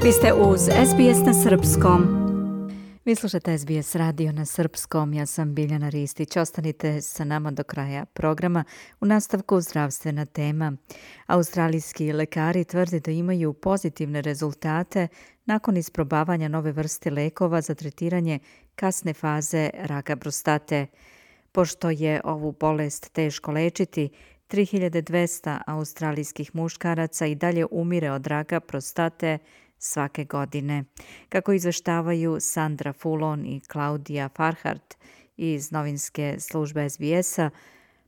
Vi ste uz SBS na srpskom. Vi slušate SBS radio na srpskom. Ja sam Biljana Ristić. Ostanite sa nama do kraja programa. U nastavku zdravstvena tema. Australijski lekari tvrde da imaju pozitivne rezultate nakon isprobavanja nove vrste lekova za tretiranje kasne faze raka prostate. Pošto je ovu bolest teško lečiti, 3200 australijskih muškaraca i dalje umire od raka prostate svake godine. Kako izveštavaju Sandra Fulon i Claudia Farhart iz novinske službe SBS-a,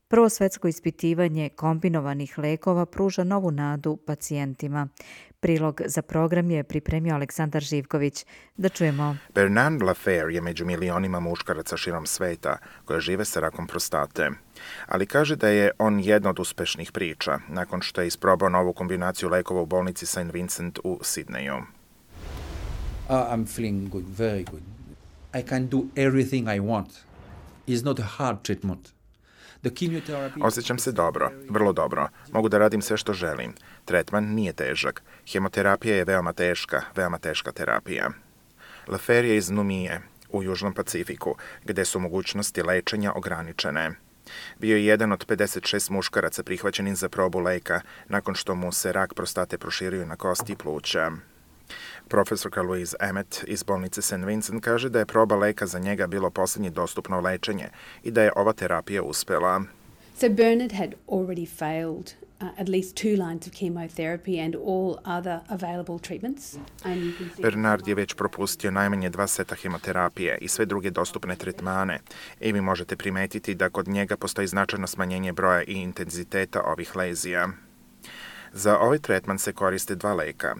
prvo svetsko ispitivanje kombinovanih lekova pruža novu nadu pacijentima. Prilog za program je pripremio Aleksandar Živković. Da čujemo. Bernard Lafer je među milionima muškaraca širom sveta koje žive sa rakom prostate. Ali kaže da je on jedna od uspešnih priča, nakon što je isprobao novu kombinaciju lekova u bolnici St. Vincent u Sidneju. I'm feeling good, very good. I can do everything I want. It's not a hard treatment. Osjećam se dobro, vrlo dobro. Mogu da radim sve što želim. Tretman nije težak. Hemoterapija je veoma teška terapija. Lafer je iz Numije, u Južnom Pacifiku, gde su mogućnosti lečenja ograničene. Bio je jedan od 56 muškaraca prihvaćenih za probu leka nakon što mu se rak prostate proširio na kosti i pluća. Profesorka Louise Emmett iz bolnice St. Vincent kaže da je proba leka za njega bilo posljednje dostupno lečenje i da je ova terapija uspela. So Bernard had already failed at least 2 lines of chemotherapy and all other available treatments. Bernard je već propustio najmanje 2 seta hemoterapije i sve druge dostupne tretmane. I vi možete primetiti da kod njega postoji značajno smanjenje broja i intenziteta ovih lezija. Za ovaj tretman se koriste 2 leka.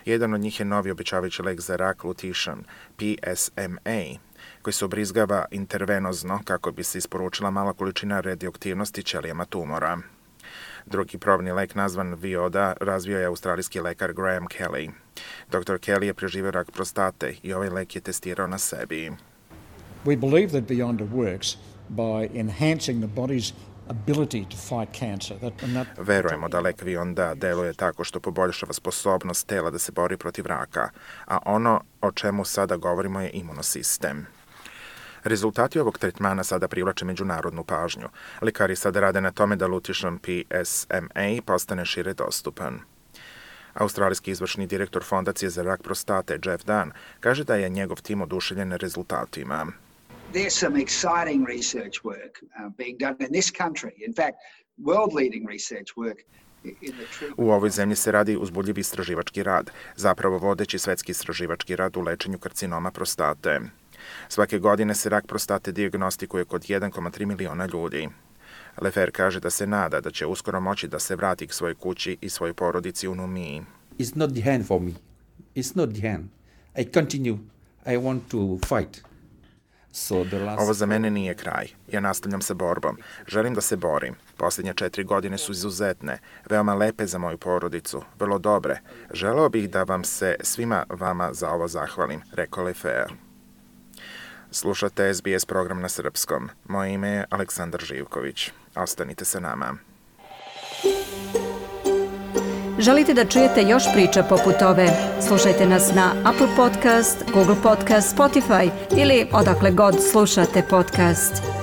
Jedan od njih je novi obećavajući lek za rak Lutetium, PSMA, koji se ubrizgava intervenozno kako bi se isporučila mala količina radioaktivnosti ćelijama tumora. Drugi probni lek nazvan Vioda razvio je australijski lekar Graham Kelly. Dr. Kelly je preživio rak prostate i ovaj lek je testirao na sebi. We believe that Beyonda works by enhancing the body's ability to fight cancer. Verujemo da lek Vionda deluje tako što poboljšava sposobnost tela da se bori protiv raka, a ono o čemu sada govorimo je imunosistem. Rezultati ovog tretmana sada privlače međunarodnu pažnju. Lekari sada rade na tome da Lutetium PSMA postane šire dostupan. Australijski izvršni direktor Fondacije za rak prostate Jeff Dunn kaže da je njegov tim oduševljen rezultatima. There's some exciting research work being done in this country. In fact, world-leading research work. U ovoj zemlji se radi uzbudljiv istraživački rad, zapravo vodeći svetski istraživački rad u lečenju karcinoma prostate. Svake godine se rak prostate dijagnostikuje kod 1,3 miliona ljudi. Lafer kaže da se nada da će uskoro moći da se vrati k svojoj kući i svojoj porodici u Numiji. It's not the end for me. It's not the end. I continue. I want to fight. Ovo za mene nije kraj. Ja nastavljam sa borbom. Želim da se borim. Posljednje 4 godine su izuzetne, veoma lepe za moju porodicu, vrlo dobre. Želeo bih da vam se svima vama za ovo zahvalim, rekao Lafer. Slušate SBS program na srpskom. Moje ime je Aleksandar Živković. Ostanite sa nama. Želite da čujete još priča poput ove? Slušajte nas na Apple Podcast, Google Podcast, Spotify ili odakle god slušate podcast.